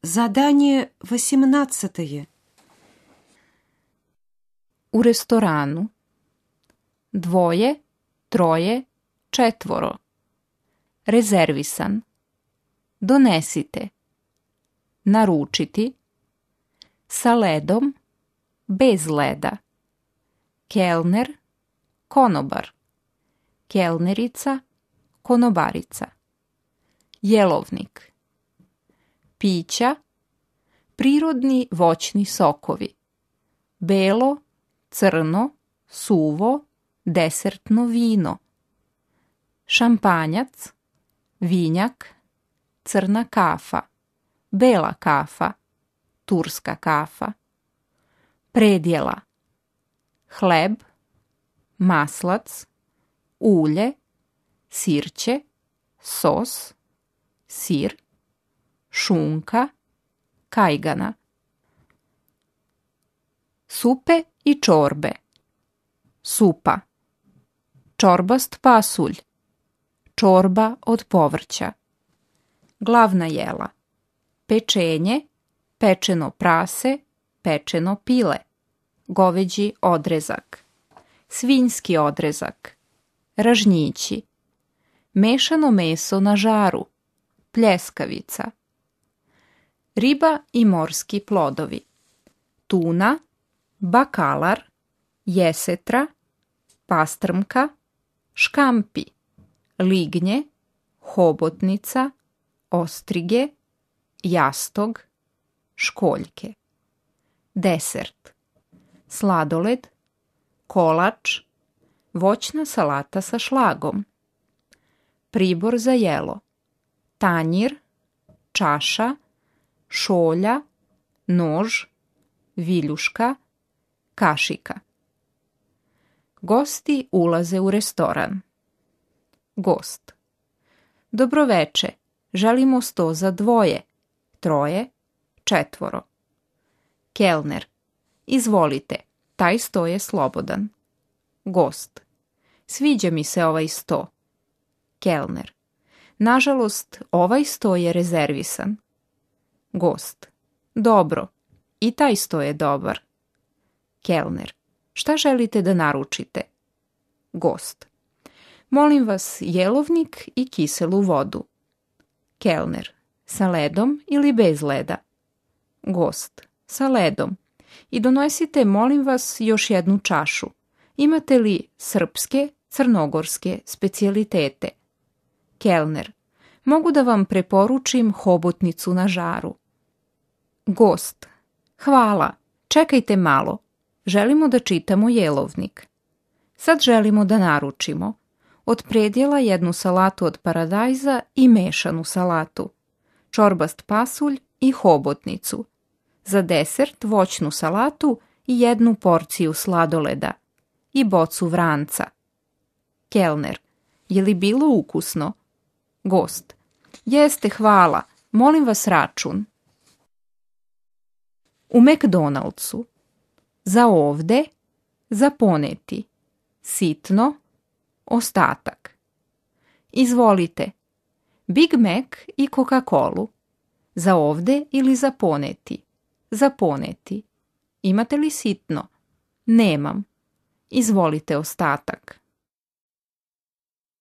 Задание 18. U restoranu. 2, 3, 4. Rezervisan. Donesite. Naručiti. Sa ledom. Bez leda. Kelner. Konobar. Kelnerica. Konobarica. Jelovnik. Pića. Prirodni voćni sokovi. Belo, crno, suvo, desertno vino. Šampanjac, vinjak, crna kafa, bela kafa, turska kafa. Predjela. Hleb, maslac, ulje, sirće, sos, sir, šunka, kajgana. Supe i čorbe. Supa. Čorbast pasulj. Čorba od povrća. Glavna jela. Pečenje, pečeno prase, pečeno pile. Goveđi odrezak. Svinjski odrezak. Ražnjići. Mešano meso na žaru. Pljeskavica. Riba i morski plodovi. Tuna, bakalar, jesetra, pastrmka, škampi, lignje, hobotnica, ostrige, jastog, školjke. Desert. Sladoled, kolač, voćna salata sa šlagom. Pribor za jelo. Tanjir, čaša, šolja, nož, viljuška, kašika. Gosti ulaze u restoran. Gost. Dobroveče, želimo sto za 2, 3, 4. Kelner. Izvolite, taj sto je slobodan. Gost. Sviđa mi se ovaj sto. Kelner. Nažalost, ovaj sto je rezervisan. Gost. Dobro, i taj sto je dobar. Kelner. Šta želite da naručite? Gost. Molim vas jelovnik i kiselu vodu. Kelner. Sa ledom ili bez leda? Gost. Sa ledom. I donosite, molim vas, još jednu čašu. Imate li srpske, crnogorske specijalitete? Kelner. Mogu da vam preporučim hobotnicu na žaru. Gost. Hvala, čekajte malo. Želimo da čitamo jelovnik. Sad želimo da naručimo. Od predjela jednu salatu od paradajza i mešanu salatu. Čorbast pasulj i hobotnicu. Za desert voćnu salatu i 1 porciju sladoleda. I bocu vranca. Kelner. Je li bilo ukusno? Gost. Jeste, hvala. Molim vas račun. U McDonald'su. Za ovde, za poneti. Sitno, ostatak. Izvolite. Big Mac i Coca-Colu. Za ovde ili za poneti? Za poneti. Imate li sitno? Nemam. Izvolite ostatak.